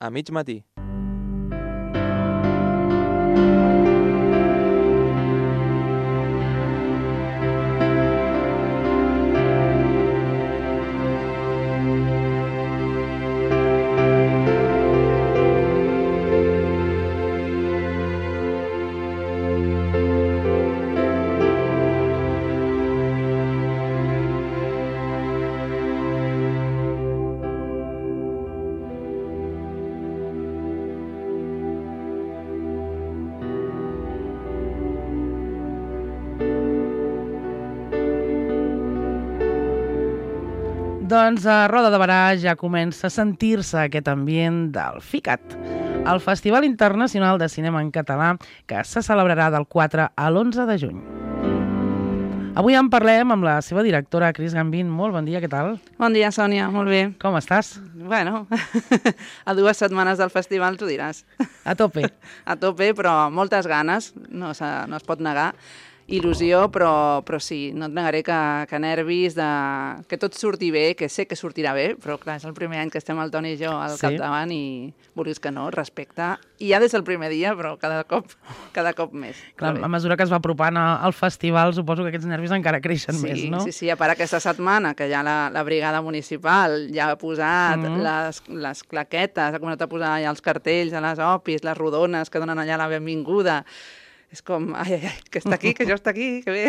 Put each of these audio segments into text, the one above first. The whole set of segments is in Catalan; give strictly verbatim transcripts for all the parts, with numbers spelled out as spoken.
a mig matí. Doncs a Roda de Barà ja comença a sentir-se aquest ambient del FICAT, el Festival Internacional de Cinema en Català, que se celebrarà del quatre a l'onze de juny. Avui en parlem amb la seva directora, Cris Gambín. Molt bon dia, què tal? Bon dia, Sònia, molt bé. Com estàs? Bueno, a dues setmanes del festival t'ho diràs. A tope. A tope, però moltes ganes, no, no es pot negar. Il·lusió, però, però sí, no et negaré que, que nervis, de, que tot surti bé, que sé que sortirà bé, però clar, és el primer any que estem el Toni i jo al sí. capdavant i vulguis que no, respecte, i ja des del primer dia, però cada cop, cada cop més. Clar, a mesura que es va apropant al festival, suposo que aquests nervis encara creixen sí, més, no? Sí, sí, a part aquesta setmana, que ja la, la brigada municipal ja ha posat mm -hmm. les, les claquetes, ha començat a posar ja els cartells a les opis, les rodones que donen allà la benvinguda. És com, ai, ai, ai, que està aquí, que jo està aquí, que bé.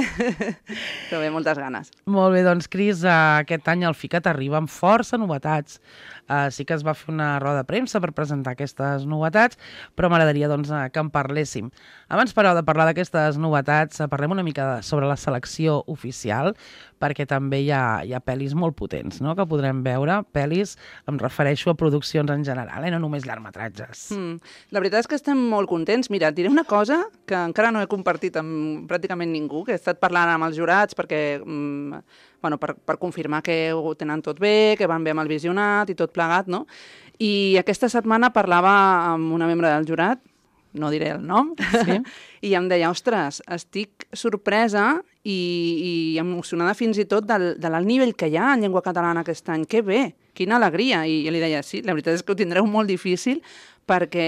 Però bé, moltes ganes. Molt bé, doncs, Cris, aquest any el FICAT arriba amb força novetats. Uh, sí que es va fer una roda de premsa per presentar aquestes novetats, però m'agradaria doncs, que en parléssim. Abans, però, de parlar d'aquestes novetats, parlem una mica sobre la selecció oficial, perquè també hi ha, hi ha pel·lis molt potents, no?, que podrem veure. Pel·lis, em refereixo a produccions en general, eh? No només llargmetratges. Mm. La veritat és que estem molt contents. Mira, et diré una cosa que encara no he compartit amb pràcticament ningú, que he estat parlant amb els jurats perquè, mm, bueno, per, per confirmar que ho tenen tot bé, que van bé amb el visionat i tot plegat, no? I aquesta setmana parlava amb una membre del jurat, no diré el nom, sí. I em deia, ostres, estic sorpresa i, i emocionada fins i tot del, de l'alt nivell que hi ha en llengua catalana aquest any. Que bé, quina alegria. I jo li deia, sí, la veritat és que ho tindreu molt difícil perquè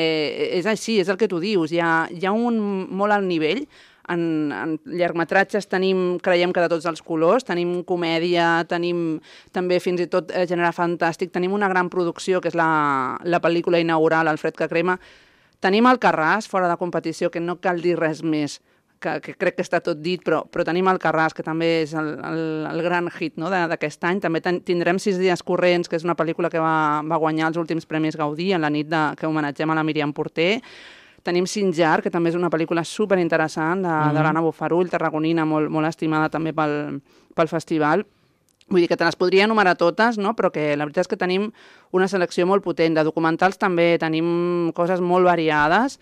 és així, és el que tu dius, hi ha, hi ha un molt alt nivell. En, en llargmetratges tenim, creiem que de tots els colors, tenim comèdia, tenim també fins i tot eh, gènere fantàstic, tenim una gran producció que és la, la pel·lícula inaugural, El fred que crema, tenim Alcarràs fora de competició, que no cal dir res més, que, que crec que està tot dit, però, però tenim Alcarràs, que també és el, el, el gran hit, no?, d'aquest any. També ten, tindrem Sis dies corrents, que és una pel·lícula que va, va guanyar els últims Premis Gaudí en la nit de, que homenatgem a la Míriam Porter. Tenim Sinjar, que també és una pel·lícula superinteressant, de, mm-hmm. de l'Anna Bofarull, tarragonina, molt, molt estimada també pel, pel festival. Vull dir que te les podria enumerar totes, no?, però que la veritat és que tenim una selecció molt potent. De documentals també tenim coses molt variades,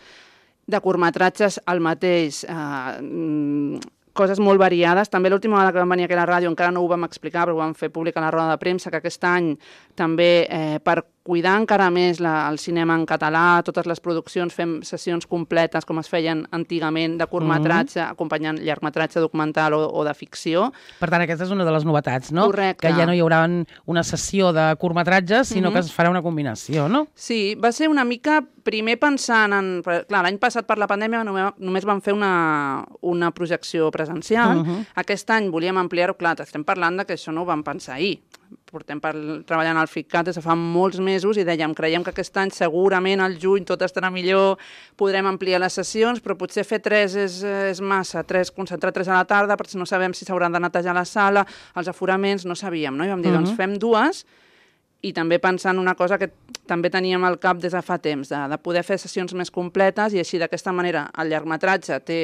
de curtmetratges el mateix, eh, coses molt variades. També l'última vegada que vam venir aquí a la ràdio encara no ho vam explicar, però ho vam fer públic a la roda de premsa, que aquest any també eh, per cuidar encara més la, el cinema en català, totes les produccions, fem sessions completes com es feien antigament de curtmetratge, mm-hmm. acompanyant llargmetratge documental o, o de ficció. Per tant, aquesta és una de les novetats, no? Correcte. Que ja no hi haurà una sessió de curtmetratges, sinó mm-hmm. que es farà una combinació, no? Sí, va ser una mica primer pensant en... Clar, l'any passat per la pandèmia només, només vam fer una, una projecció presencial. Mm-hmm. Aquest any volíem ampliar-ho. Clar, estem parlant de que això no ho vam pensar ahir. Portem per, treballant al FICAT des de fa molts mesos i dèiem, creiem que aquest any segurament al juny tot estarà millor, podrem ampliar les sessions, però potser fer tres és, és massa, tres, concentrar tres a la tarda, perquè no sabem si s'hauran de netejar la sala, els aforaments, no sabíem, no? I vam dir, uh-huh. doncs fem dues, i també pensant una cosa que també teníem al cap des de fa temps, de, de poder fer sessions més completes, i així d'aquesta manera el llargmetratge té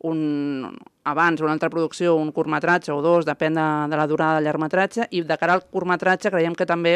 un, abans una altra producció, un curtmetratge o dos, depèn de, de la durada del llargmetratge, i de cara al curtmetratge creiem que també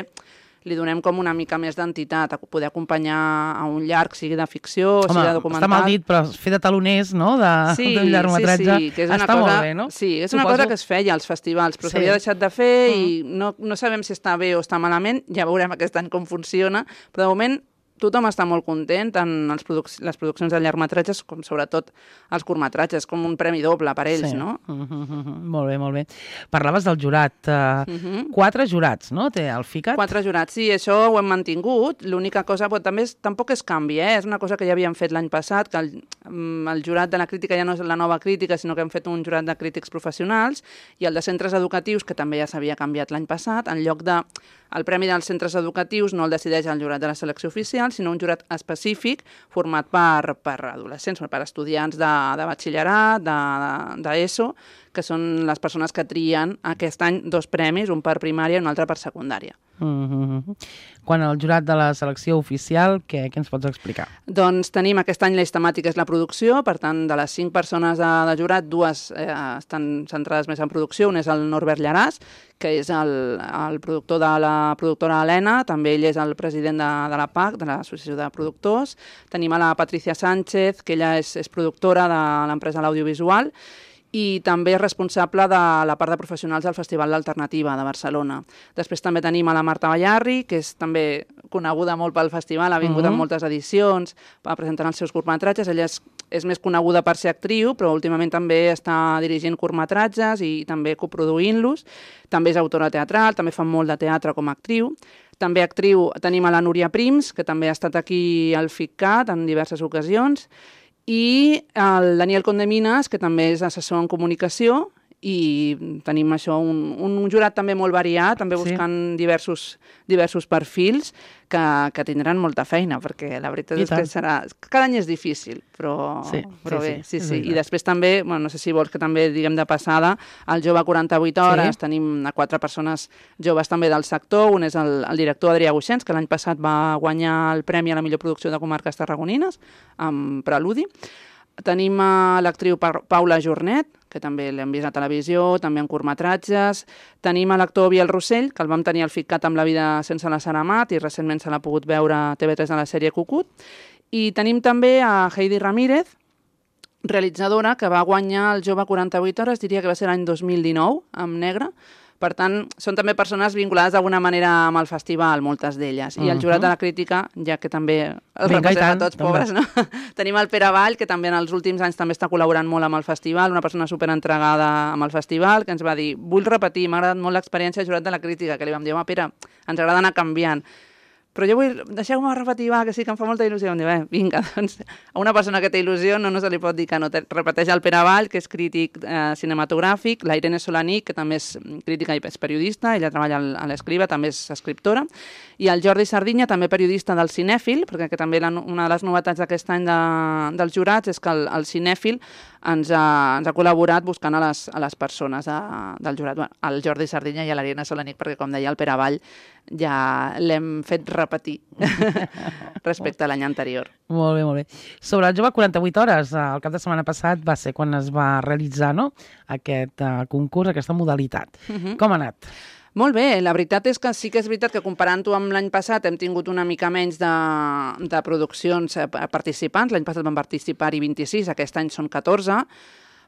li donem com una mica més d'entitat, a poder acompanyar a un llarg, sigui de ficció, Home, sigui de documental. Està mal dit, però fer de taloners, no?, de, sí, d'un llargmetratge, sí, sí, que és una està cosa, molt bé, no? Sí, és Suposo... una cosa que es feia als festivals, però sí. s'havia deixat de fer mm. i no, no sabem si està bé o està malament, ja veurem aquest any com funciona, però de moment tothom està molt content, tant els produc les produccions de llargmetratges com sobretot els curtmetratges, com un premi doble per ells, sí. no? Uh -huh. Molt bé, molt bé. Parlaves del jurat. Uh, uh -huh. Quatre jurats, no? Té el FICAT? Quatre jurats, sí, això ho hem mantingut. L'única cosa, però també és, tampoc és canvi, eh? És una cosa que ja havíem fet l'any passat, que el, el jurat de la crítica ja no és la nova crítica, sinó que hem fet un jurat de crítics professionals, i el de centres educatius, que també ja s'havia canviat l'any passat, en lloc de... El premi dels centres educatius no el decideix el jurat de la selecció oficial, sinó un jurat específic format per, per adolescents, per estudiants de, de batxillerat, d'ESO, de, de que són les persones que trien aquest any dos premis, un per primària i un altre per secundària. Mm-hmm. Quan al jurat de la selecció oficial, què, què ens pots explicar? Doncs tenim aquest any l'eix temàtic és la producció, per tant, de les cinc persones de, de jurat, dues eh, estan centrades més en producció, un és el Norbert Llaràs, que és el, el productor de la productora Helena, també ell és el president de, de la P A C, de l'Associació de Productors. Tenim a la Patricia Sánchez, que ella és, és productora de l'empresa L'Audiovisual, i també és responsable de la part de professionals del Festival d'Alternativa de Barcelona. Després també tenim a la Marta Ballarri, que és també coneguda molt pel festival, ha vingut uh-huh. en moltes edicions, va presentar els seus curtmetratges. Ella és, és més coneguda per ser actriu, però últimament també està dirigint curtmetratges i també coproduint-los. També és autora teatral, també fa molt de teatre com a actriu. També actriu tenim a la Núria Prims, que també ha estat aquí al FICAT en diverses ocasions, i el Daniel Condeminas, que també és assessor en comunicació, i tenim això, un, un jurat també molt variat, també buscant sí. diversos, diversos perfils que, que tindran molta feina, perquè la veritat I és tant. que serà... Cada any és difícil, però, sí, però sí, bé, sí, sí. sí. I després també, bueno, no sé si vols que també diguem de passada, el Jove quaranta-vuit hores, sí. tenim quatre persones joves també del sector, un és el, el director Adrià Buixens, que l'any passat va guanyar el Premi a la millor producció de comarques tarragonines, amb Preludi. Tenim l'actriu Paula Jornet, que també l'hem vist a televisió, també en curtmetratges. Tenim l'actor Biel Rossell, que el vam tenir al FICAT amb La vida sense la Saramat i recentment se l'ha pogut veure a T V tres de la sèrie Cucut. I tenim també a Heidi Ramírez, realitzadora, que va guanyar el Jove quaranta-vuit hores, diria que va ser l'any dos mil dinou, amb Negre. Per tant, són també persones vinculades d'alguna manera amb el festival, moltes d'elles. I el jurat de la crítica, ja que també els repassem a tots, pobres, no? Tenim el Pere Vall, que també en els últims anys també està col·laborant molt amb el festival, una persona superentregada amb el festival, que ens va dir, vull repetir, m'ha agradat molt l'experiència de jurat de la crítica, que li vam dir, home, Pere, ens agrada anar canviant. Però jo vull, deixeu-me repetir, va, que sí que em fa molta il·lusió. Em diu, eh, vinga, doncs, a una persona que té il·lusió no, no se li pot dir que no. Repeteix el Pere Vall, que és crític eh, cinematogràfic, la Irene Solanic, que també és crítica i és periodista, ella treballa a l'Escriba, també és escriptora, i el Jordi Sardinya, també periodista del Cinèfil, perquè que també la, una de les novetats d'aquest any de, dels jurats és que el, el Cinèfil ens ha, ens ha col·laborat buscant a les, a les persones de, del jurat. Bueno, el Jordi Sardinya i l'Irene Solanic, perquè com deia el Pere Vall, ja l'hem fet repetir respecte a l'any anterior. Molt bé, molt bé. Sobre el Jove quaranta-vuit hores, el cap de setmana passat va ser quan es va realitzar, no?, aquest uh, concurs, aquesta modalitat. Uh-huh. Com ha anat? Molt bé, la veritat és que sí que és veritat que comparant-ho amb l'any passat hem tingut una mica menys de, de produccions participants. L'any passat van participar-hi vint-i-sis, aquest any són catorze,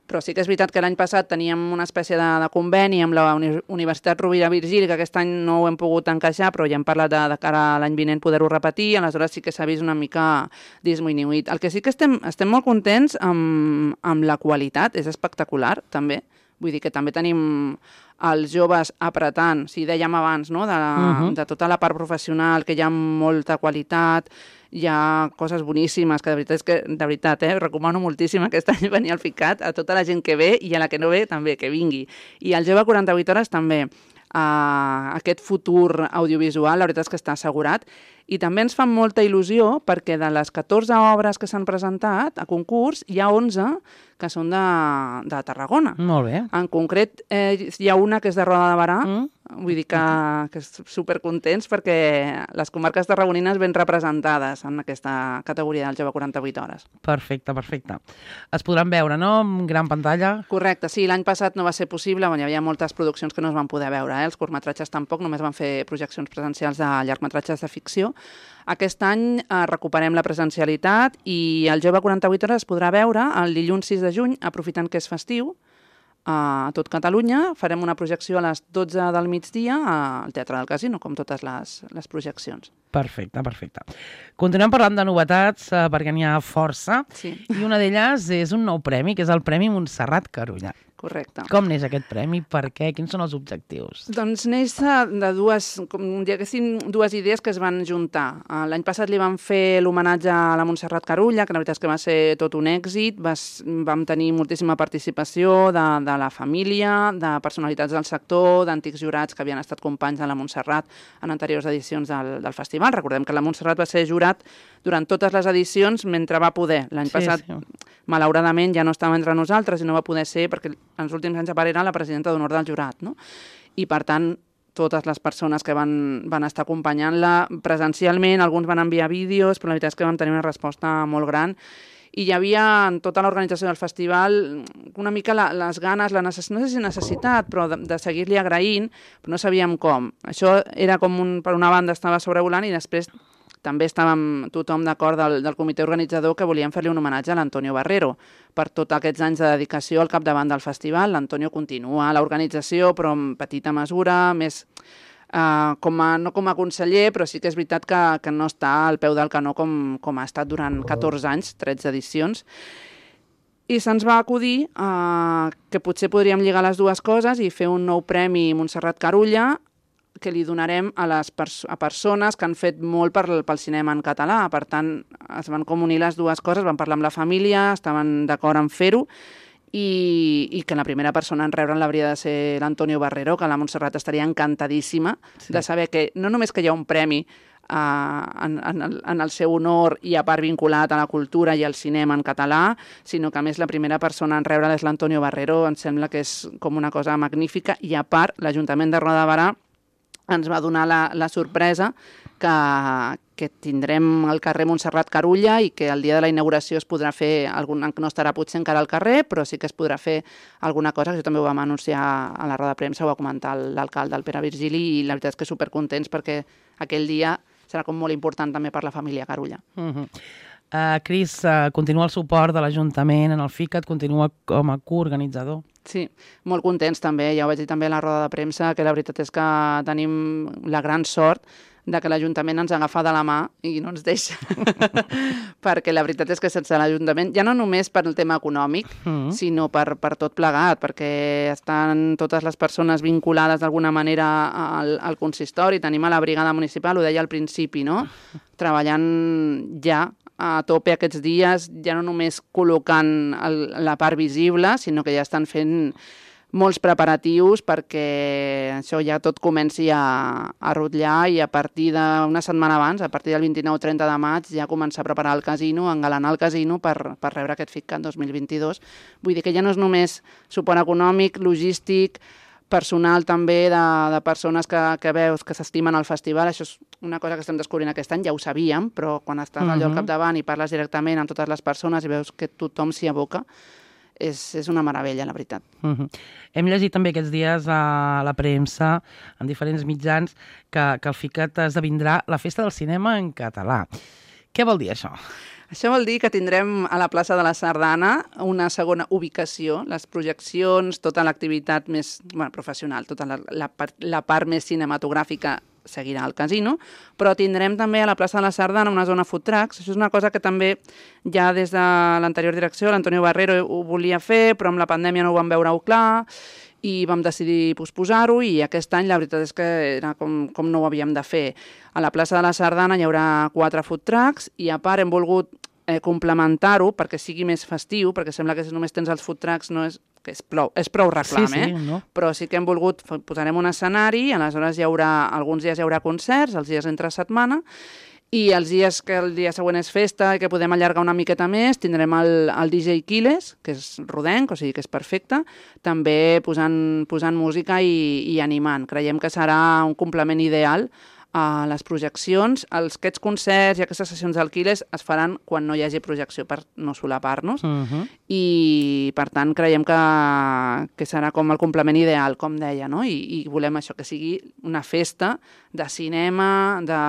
però sí que és veritat que l'any passat teníem una espècie de, de conveni amb la Uni Universitat Rovira Virgili, que aquest any no ho hem pogut encaixar, però ja hem parlat de, de cara a l'any vinent poder-ho repetir, aleshores sí que s'ha vist una mica disminuït. El que sí que estem, estem molt contents amb, amb la qualitat, és espectacular també, vull dir que també tenim els joves apretant, si dèiem abans, no? de, la, uh-huh. de tota la part professional, que hi ha molta qualitat, hi ha coses boníssimes, que de veritat és que, de veritat, eh, recomano moltíssim aquest any venir al FICAT, a tota la gent que ve i a la que no ve també, que vingui. I el Jove quaranta-vuit hores també, uh, aquest futur audiovisual, la veritat és que està assegurat, i també ens fa molta il·lusió perquè de les catorze obres que s'han presentat a concurs, hi ha onze que són de, de Tarragona. Molt bé. En concret, eh, hi ha una que és de Roda de Barà, mm. vull dir que, que és supercontents perquè les comarques tarragonines ben representades en aquesta categoria del Jove quaranta-vuit hores. Perfecte, perfecte. Es podran veure, no?, en gran pantalla? Correcte, sí, l'any passat no va ser possible, bueno, hi havia moltes produccions que no es van poder veure, eh? Els curtmetratges tampoc, només van fer projeccions presencials de llargmetratges de ficció. Aquest any eh, recuperem la presencialitat i el Jove quaranta-vuit hores es podrà veure el dilluns sis de juny, aprofitant que és festiu, a tot Catalunya. Farem una projecció a les dotze del migdia al Teatre del Casino, com totes les, les projeccions. Perfecte, perfecte. Continuem parlant de novetats, eh, perquè n'hi ha força, Sí. i una d'elles és un nou premi, que és el Premi Montserrat Carulla. Correcte. Com neix aquest premi? Per què? Quins són els objectius? Doncs neix de dues, com diguéssim, dues idees que es van juntar. L'any passat li vam fer l'homenatge a la Montserrat Carulla, que la veritat és que va ser tot un èxit. Vas, vam tenir moltíssima participació de, de la família, de personalitats del sector, d'antics jurats que havien estat companys de la Montserrat en anteriors edicions del, del festival. Recordem que la Montserrat va ser jurat durant totes les edicions mentre va poder. L'any Sí, passat, sí. malauradament, ja no estava entre nosaltres i no va poder ser perquè en els últims anys a part era la presidenta d'honor del jurat, no? I, per tant, totes les persones que van, van estar acompanyant-la presencialment, alguns van enviar vídeos, però la veritat és que vam tenir una resposta molt gran. I hi havia en tota l'organització del festival una mica la, les ganes, la necess... no sé si necessitat, però de, de seguir-li agraint, però no sabíem com. Això era com, un, per una banda, estava sobrevolant i després també estàvem tothom d'acord del, del comitè organitzador que volíem fer-li un homenatge a l'Antonio Barrero per tots aquests anys de dedicació al capdavant del festival. L'Antonio continua a l'organització, però en petita mesura, més eh, com a, no com a conseller, però sí que és veritat que, que no està al peu del canó com, com ha estat durant catorze anys, tretze edicions. I se'ns va acudir eh, que potser podríem lligar les dues coses i fer un nou premi Montserrat Carulla que li donarem a les pers a persones que han fet molt per, pel cinema en català. Per tant, es van comunir les dues coses, van parlar amb la família, estaven d'acord en fer-ho, i, i que la primera persona en rebre'n l'hauria de ser l'Antonio Barrero, que la Montserrat estaria encantadíssima sí. de saber que no només que hi ha un premi uh, en, en, el, en el seu honor i a part vinculat a la cultura i al cinema en català, sinó que a més la primera persona en rebre'l és l'Antonio Barrero. Em sembla que és com una cosa magnífica, i a part l'Ajuntament de Roda de Barà ens va donar la, la sorpresa que, que tindrem al carrer Montserrat Carulla i que el dia de la inauguració es podrà fer, algun, no estarà potser encara al carrer, però sí que es podrà fer alguna cosa, que jo també ho vam anunciar a la roda de premsa, ho va comentar l'alcalde, el Pere Virgili, i la veritat és que supercontents perquè aquell dia serà com molt important també per la família Carulla. Uh-huh. uh, Cris, uh, continua el suport de l'Ajuntament en el FICAT, continua com a coorganitzador. Sí, molt contents també, ja ho vaig dir també a la roda de premsa, que la veritat és que tenim la gran sort de que l'Ajuntament ens agafa de la mà i no ens deixa, perquè la veritat és que sense l'Ajuntament, ja no només per el tema econòmic, mm. sinó per, per tot plegat, perquè estan totes les persones vinculades d'alguna manera al, al consistori, tenim a la brigada municipal, ho deia al principi, no? Treballant ja a tope aquests dies, ja no només col·locant el, la part visible, sinó que ja estan fent molts preparatius perquè això ja tot comenci a, a rotllar, i a partir d'una setmana abans, a partir del vint-i-nou trenta de maig, ja començar a preparar el casino, engalanar el casino per, per rebre aquest FICAT dos mil vint-i-dos. Vull dir que ja no és només suport econòmic, logístic, personal també de, de persones que, que veus que s'estimen al festival. Això és una cosa que estem descobrint aquest any, ja ho sabíem, però quan estàs uh-huh. allò al capdavant i parles directament amb totes les persones i veus que tothom s'hi aboca, és, és una meravella, la veritat. Uh-huh. Hem llegit també aquests dies a la premsa, en diferents mitjans, que, que el FICAT esdevindrà la festa del cinema en català. Què vol dir això? Això vol dir que tindrem a la plaça de la Sardana una segona ubicació, les projeccions, tota l'activitat més bueno, professional, tota la, la, part, la part més cinematogràfica seguirà al casino, però tindrem també a la plaça de la Sardana una zona food trucks. Això és una cosa que també ja des de l'anterior direcció, l'Antonio Barrero ho volia fer, però amb la pandèmia no ho vam veure-ho clar, i vam decidir posposar-ho, i aquest any la veritat és que era com, com no ho havíem de fer. A la plaça de la Sardana hi haurà quatre food trucks, i a part hem volgut eh, complementar-ho perquè sigui més festiu, perquè sembla que si només tens els food trucks no és, que és, prou, és prou reclam, sí, sí, eh? No? Però sí que hem volgut, posarem un escenari, aleshores hi haurà, alguns dies hi haurà concerts, els dies entre setmana, i els dies que el dia següent és festa i que podem allargar una miqueta més, tindrem el, el D J Quiles, que és rodenc, o sigui que és perfecte, també posant, posant música i, i animant. Creiem que serà un complement ideal a les projeccions. Els, aquests concerts i aquestes sessions d'alquiles es faran quan no hi hagi projecció per no solapar-nos, uh-huh. i per tant creiem que, que serà com el complement ideal, com deia, no? I, i volem això, que sigui una festa de cinema, de,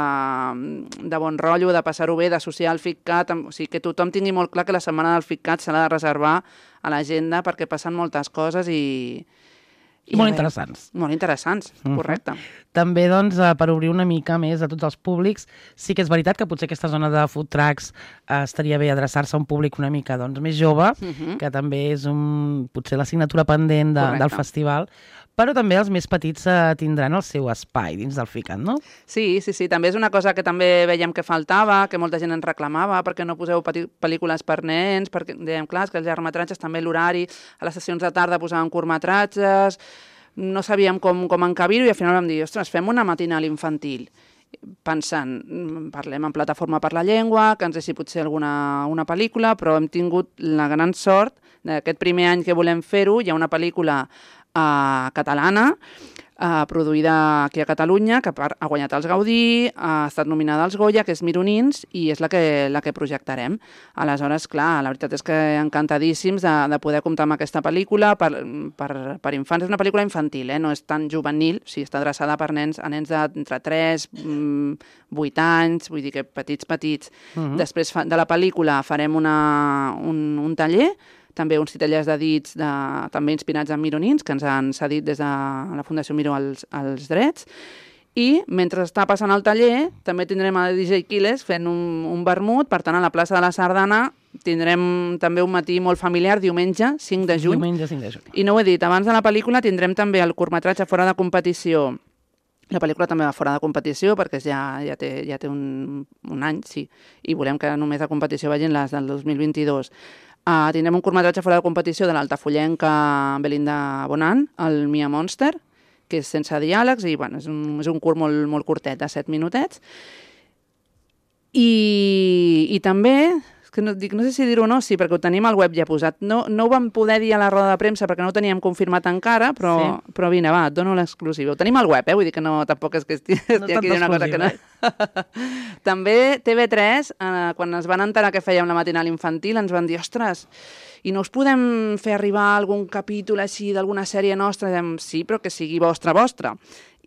de bon rotllo, de passar-ho bé, d'associar el FICAT, o sigui, que tothom tingui molt clar que la setmana del FICAT s'ha de reservar a l'agenda perquè passen moltes coses i I, I molt interessants. Molt interessants, uh-huh. correcte. També, doncs, per obrir una mica més a tots els públics, sí que és veritat que potser aquesta zona de food trucks eh, estaria bé adreçar-se a un públic una mica doncs, més jove, uh-huh. que també és un, potser l'assignatura pendent de, del festival, però també els més petits eh, tindran el seu espai dins del FICAT, no? Sí, sí, sí. També és una cosa que també veiem que faltava, que molta gent ens reclamava, perquè no poseu pel·lícules per nens, perquè dèiem, clar, que els llargmetratges també l'horari, a les sessions de tarda posaven curtmetratges, no sabíem com, com encabir-ho i al final vam dir, ostres, fem una matinal infantil. Pensant, parlem en Plataforma per la Llengua, que ens deixi potser alguna una pel·lícula, però hem tingut la gran sort d'aquest primer any que volem fer-ho, hi ha una pel·lícula Uh, catalana, uh, produïda aquí a Catalunya, que ha guanyat els Gaudí, ha estat nominada als Goya, que és Mironins, i és la que, la que projectarem. Aleshores, clar, la veritat és que encantadíssims de, de poder comptar amb aquesta pel·lícula per, per, per infants. És una pel·lícula infantil, eh? No és tan juvenil, o sigui, està adreçada per nens, a nens d'entre tres, vuit anys, vull dir que petits, petits. Uh-huh. Després de la pel·lícula farem una, un, un taller, també uns titellers de dits de, també inspirats en mironins, que ens han cedit des de la Fundació Miró els, els drets. I mentre està passant el taller, també tindrem el D J Quiles fent un, un vermut. Per tant, a la plaça de la Sardana tindrem també un matí molt familiar, diumenge cinc de juny. Diumenge cinc de juny. I no ho he dit, abans de la pel·lícula tindrem també el curtmetratge fora de competició. La pel·lícula també va fora de competició perquè ja, ja té, ja té un, un any, sí, i volem que només de competició vagin les del dos mil vint-i-dos. Uh, tindrem un curtmetratge fora de competició de l'altafollenca Belinda Bonan, el Mia Monster, que és sense diàlegs i bueno, és, un, és un curt molt, molt curtet, de set minutets. I, i també, és que no, dic, no sé si dir-ho o no, sí, perquè ho tenim al web ja posat. No, no ho vam poder dir a la roda de premsa perquè no ho teníem confirmat encara, però, sí. però vine, va, et dono l'exclusiva. Ho tenim al web, eh? Vull dir que no, tampoc és que estigui no aquí una cosa que no... També T V tres, eh, quan es van enterar que fèiem la matinal infantil, ens van dir, ostres, i no us podem fer arribar algun capítol així d'alguna sèrie nostra? I dèiem, sí, però que sigui vostra, vostra.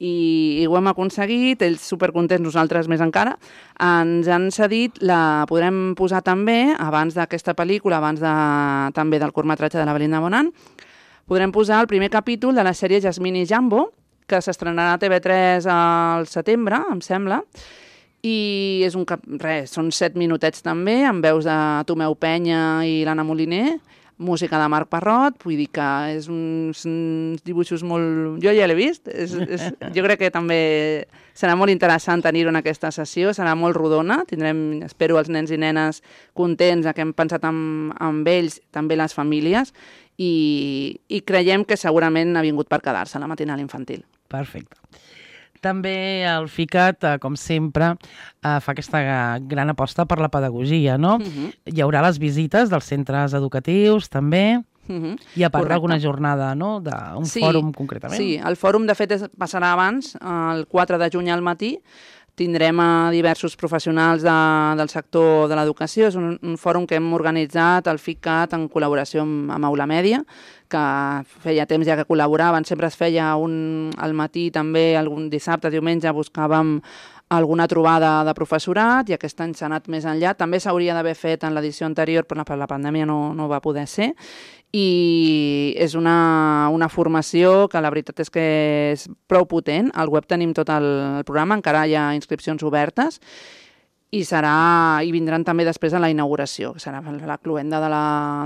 I, i ho hem aconseguit, ells supercontents, nosaltres més encara. Ens han cedit, la podrem posar també, abans d'aquesta pel·lícula, abans de, també del curtmetratge de la Belinda Bonan, podrem posar el primer capítol de la sèrie Jasmine i Jambo, que s'estrenarà a T V tres al setembre, em sembla, i és un cap... res, són set minutets també, amb veus de Tomeu Penya i l'Anna Moliner, música de Marc Parrot, vull dir que és uns, uns dibuixos molt... Jo ja l'he vist, és, és... jo crec que també serà molt interessant tenir-ho en aquesta sessió, serà molt rodona, tindrem, espero, els nens i nenes contents que hem pensat amb, amb ells, també les famílies, i, i creiem que segurament ha vingut per quedar-se la matinal infantil. Perfecte. També el FICAT, com sempre, fa aquesta gran aposta per la pedagogia, no? Uh-huh. Hi haurà les visites dels centres educatius, també, uh-huh. i a part d'alguna jornada, no?, d'un sí, fòrum, concretament. Sí, el fòrum, de fet, passarà abans, el quatre de juny al matí. Tindrem a diversos professionals de, del sector de l'educació. És un, un fòrum que hem organitzat, el FICAT, en col·laboració amb, amb Aula Mèdia, que feia temps ja que col·laboraven. Sempre es feia un al matí, també, algun dissabte, diumenge, buscàvem alguna trobada de professorat i aquest any s'ha anat més enllà. També s'hauria d'haver fet en l'edició anterior, però per la pandèmia no, no va poder ser. I és una, una formació que la veritat és que és prou potent. Al web tenim tot el, el programa, encara hi ha inscripcions obertes i serà i vindran també després a la inauguració, que serà la cloenda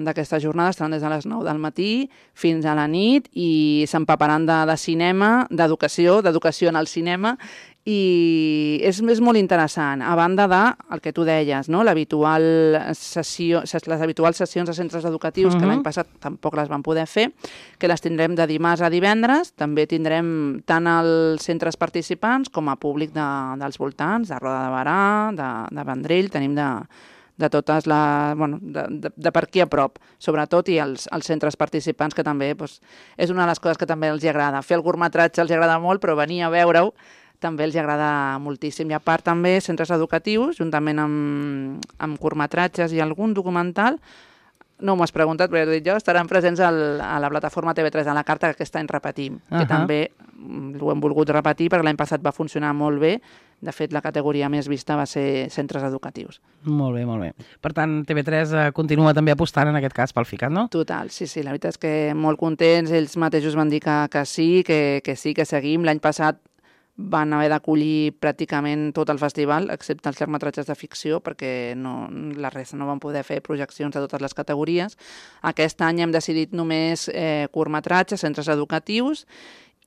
d'aquesta jornada, estaran des de les nou del matí fins a la nit i s'empaparan de, de cinema, d'educació, d'educació en el cinema, i és, és molt interessant, a banda de el que tu deies, no? L'habitual sessió, les habituals sessions de centres educatius, uh-huh. que l'any passat tampoc les van poder fer, que les tindrem de dimarts a divendres, també tindrem tant els centres participants com a públic de, dels voltants, de Roda de Barà, de, de Vendrell, tenim de, de totes les... Bueno, de, de, de per aquí a prop, sobretot, i els, els centres participants, que també doncs, és una de les coses que també els agrada. Fer el curtmetratge els agrada molt, però venir a veure-ho també els agrada moltíssim. I a part també centres educatius, juntament amb, amb curtmetratges i algun documental, no m'ho has preguntat, però ja t'ho he dit jo, estaran presents al, a la plataforma T V tres a la carta, que aquest any repetim, uh -huh. que també ho hem volgut repetir perquè l'any passat va funcionar molt bé. De fet, la categoria més vista va ser centres educatius. Molt bé, molt bé. Per tant, T V tres eh, continua també apostant en aquest cas pel FICAT, no? Total, sí, sí. La veritat és que molt contents. Ells mateixos van dir que, que sí, que, que sí, que seguim. L'any passat van haver d'acollir pràcticament tot el festival, excepte els llargmetratges de ficció, perquè no, la resta no van poder fer projeccions de totes les categories. Aquest any hem decidit només eh, curtmetratges, centres educatius,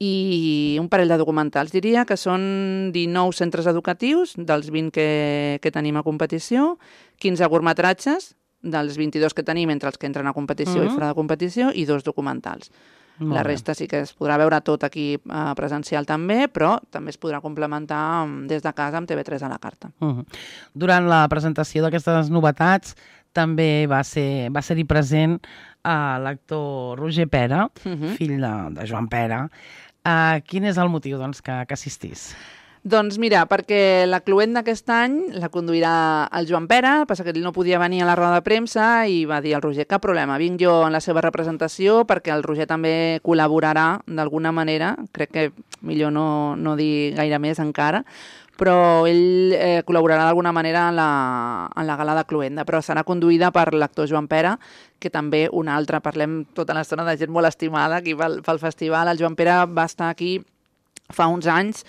i un parell de documentals. Diria que són dinou centres educatius, dels vint que, que tenim a competició, quinze curtmetratges, dels vint-i-dos que tenim entre els que entren a competició uh-huh. i fora de competició, i dos documentals. Molt la resta bé. Sí que es podrà veure tot aquí eh, presencial també, però també es podrà complementar des de casa amb T V tres a la carta. Uh-huh. Durant la presentació d'aquestes novetats també va ser va ser-hi present uh, l'actor Roger Pera, uh-huh. fill de, de Joan Pera. Uh, quin és el motiu doncs, que, que assistís? Doncs mira, perquè la cluent d'aquest any la conduirà el Joan Pera, passa que ell no podia venir a la roda de premsa i va dir al Roger, cap problema, vinc jo en la seva representació perquè el Roger també col·laborarà d'alguna manera, crec que millor no, no dir gaire més encara, però ell eh, col·laborarà d'alguna manera en la, en la gala de Cluenda, però serà conduïda per l'actor Joan Pera, que també un altre, parlem tota l'estona de gent molt estimada aquí pel, pel festival. El Joan Pera va estar aquí fa uns anys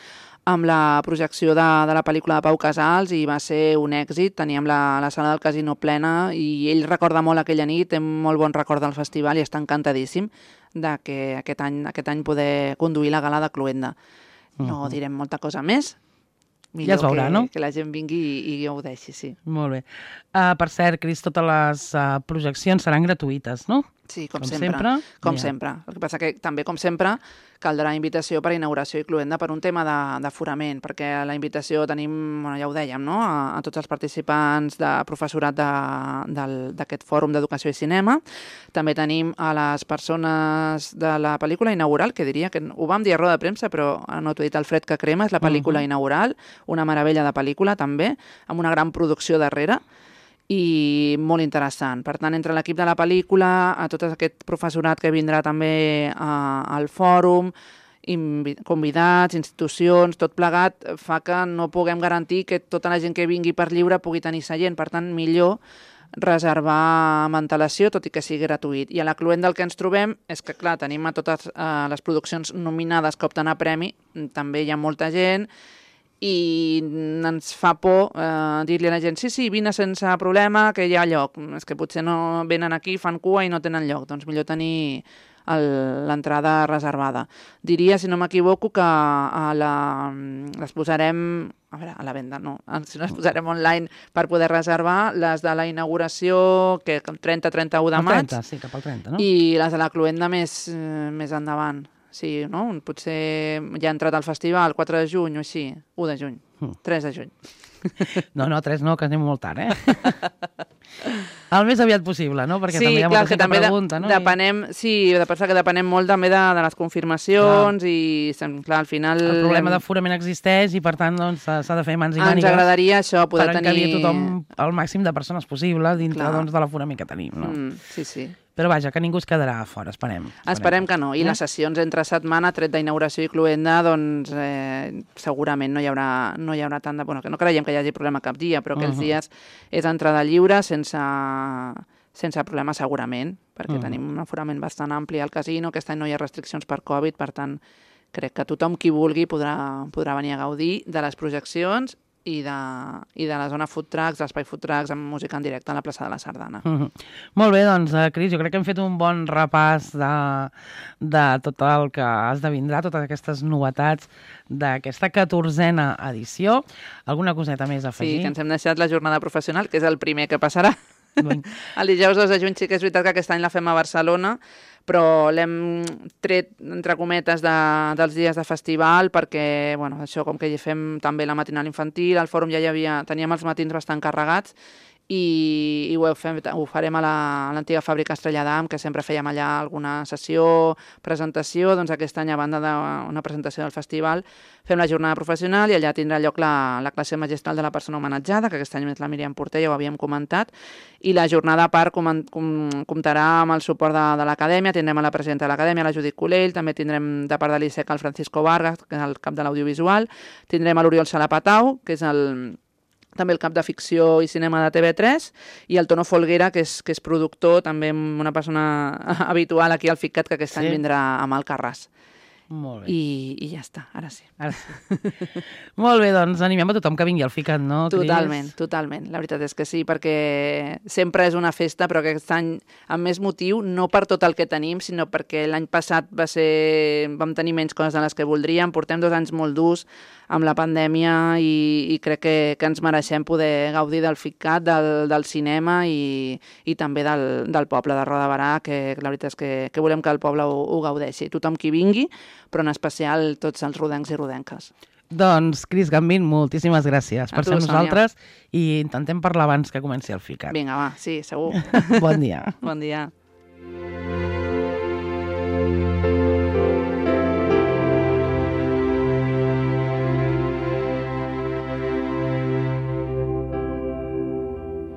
amb la projecció de, de la pel·lícula de Pau Casals i va ser un èxit. Teníem la, la sala del casino plena i ell recorda molt aquella nit, té molt bon record del festival i està encantadíssim de que aquest any, aquest any poder conduir la gala de Cluenda. No uh-huh. direm molta cosa més. Millor ja es veurà, que, no? que la gent vingui i, i ho deixi, sí. Molt bé. Uh, per cert, Cris, totes les uh, projeccions seran gratuïtes, no? Sí, com, com sempre. sempre. Com ja. sempre. El que passa que també, com sempre, caldrà invitació per a inauguració i cluenda per un tema d'aforament, perquè a la invitació tenim, bueno, ja ho dèiem, no? a, a tots els participants de professorat d'aquest fòrum d'educació i cinema. També tenim a les persones de la pel·lícula inaugural, que diria que ho vam dir a roda de premsa, però no t'ho he dit, el Fred que crema, és la pel·lícula uh-huh. inaugural, una meravella de pel·lícula també, amb una gran producció darrere, i molt interessant. Per tant, entre l'equip de la pel·lícula, a tot aquest professorat que vindrà també a, al fòrum, convidats, institucions, tot plegat, fa que no puguem garantir que tota la gent que vingui per lliure pugui tenir seient. Per tant, millor reservar amb antelació, tot i que sigui gratuït. I a la cluenda el que ens trobem és que, clar, tenim a totes eh, les produccions nominades que opten a premi, també hi ha molta gent, i ens fa por eh, dir-li a la gent sí, sí, vine sense problema, que hi ha lloc. És que potser no venen aquí, fan cua i no tenen lloc. Doncs millor tenir l'entrada reservada. Diria, si no m'equivoco, que a la, les posarem a veure, a la venda, no, si no les posarem online per poder reservar, les de la inauguració, que trenta a trenta-u de maig, trenta, sí, cap al trenta, no? I les de la cluenda més, més endavant. Sí, no? Potser ja ha entrat al festival, quatre de juny o així, u de juny, tres de juny. No, no, tres no, que anem molt tard, eh? El més aviat possible, no? Perquè sí, també hi ha clar, molta gent que pregunta, de, no? Depenem, sí, de pensar que depenem molt també de, de les confirmacions clar. I, clar, al final... El problema d'aforament existeix i, per tant, doncs, s'ha de fer mans i mànigues. Ens agradaria això, poder per tenir... Per encabir tothom, el màxim de persones possible dintre doncs, de l'aforament que tenim, no? Mm, sí, sí. Però vaja, que ningú es quedarà fora, esperem. Esperem, esperem que no. I eh? les sessions entre setmana, tret d'inauguració i cluenda, doncs eh, segurament no hi haurà, no hi haurà tant de... Bueno, que no creiem que hi hagi problema cap dia, però que uh-huh. els dies és entrada lliure sense, sense problema segurament, perquè uh-huh. tenim un aforament bastant ampli al casino, aquest any no hi ha restriccions per Covid, per tant, crec que tothom qui vulgui podrà, podrà venir a gaudir de les projeccions i de, i de la zona food trucks, l'espai food trucks amb música en directe a la plaça de la Sardana. Uh-huh. Molt bé, doncs, uh, Cris, jo crec que hem fet un bon repàs de, de tot el que esdevindrà, totes aquestes novetats d'aquesta catorzena edició. Alguna coseta més a afegir? Sí, que ens hem deixat la jornada professional, que és el primer que passarà. El dijous dos de juny sí que és veritat que aquest any la fem a Barcelona, però l'hem tret, entre cometes, de, dels dies de festival perquè, bueno, això, com que hi fem també la matinal infantil, al fòrum ja hi havia, teníem els matins bastant carregats i, i ho, fem, ho farem a l'antiga fàbrica Estrella d'Am, que sempre fèiem allà alguna sessió, presentació. Doncs aquest any, a banda d'una presentació del festival, fem la jornada professional i allà tindrà lloc la, la classe magistral de la persona homenatjada, que aquest any és la Míriam Porter, ja ho havíem comentat, i la jornada a part com, com, comptarà amb el suport de, de l'acadèmia. Tindrem a la presidenta de l'acadèmia, la Judit Colell, també tindrem de part de l'I S E C el Francisco Vargas, que és el cap de l'audiovisual, tindrem a l'Oriol Salapatau, que és el també el cap de ficció i cinema de T V tres, i el Tono Folguera, que és, que és productor, també una persona habitual aquí al FICCAT, que aquest sí. any vindrà amb el Carràs. Molt bé. I, I ja està, ara sí. Ara sí. Molt bé, doncs animem a tothom que vingui al FICCAT, no, Cris? Totalment, totalment. La veritat és que sí, perquè sempre és una festa, però aquest any amb més motiu, no per tot el que tenim, sinó perquè l'any passat va ser... vam tenir menys coses de les que voldríem, portem dos anys molt durs amb la pandèmia i, i crec que, que ens mereixem poder gaudir del FICCAT, del, del cinema i, i també del, del poble de Roda de Berà, que la veritat és que, que volem que el poble ho, ho gaudeixi. Tothom qui vingui, però en especial tots els rodencs i rodenques. Doncs, Cris Gambín, moltíssimes gràcies per tu, ser nosaltres i intentem parlar abans que comenci el FICCAT. Vinga, va, sí, segur. Bon dia. Bon dia.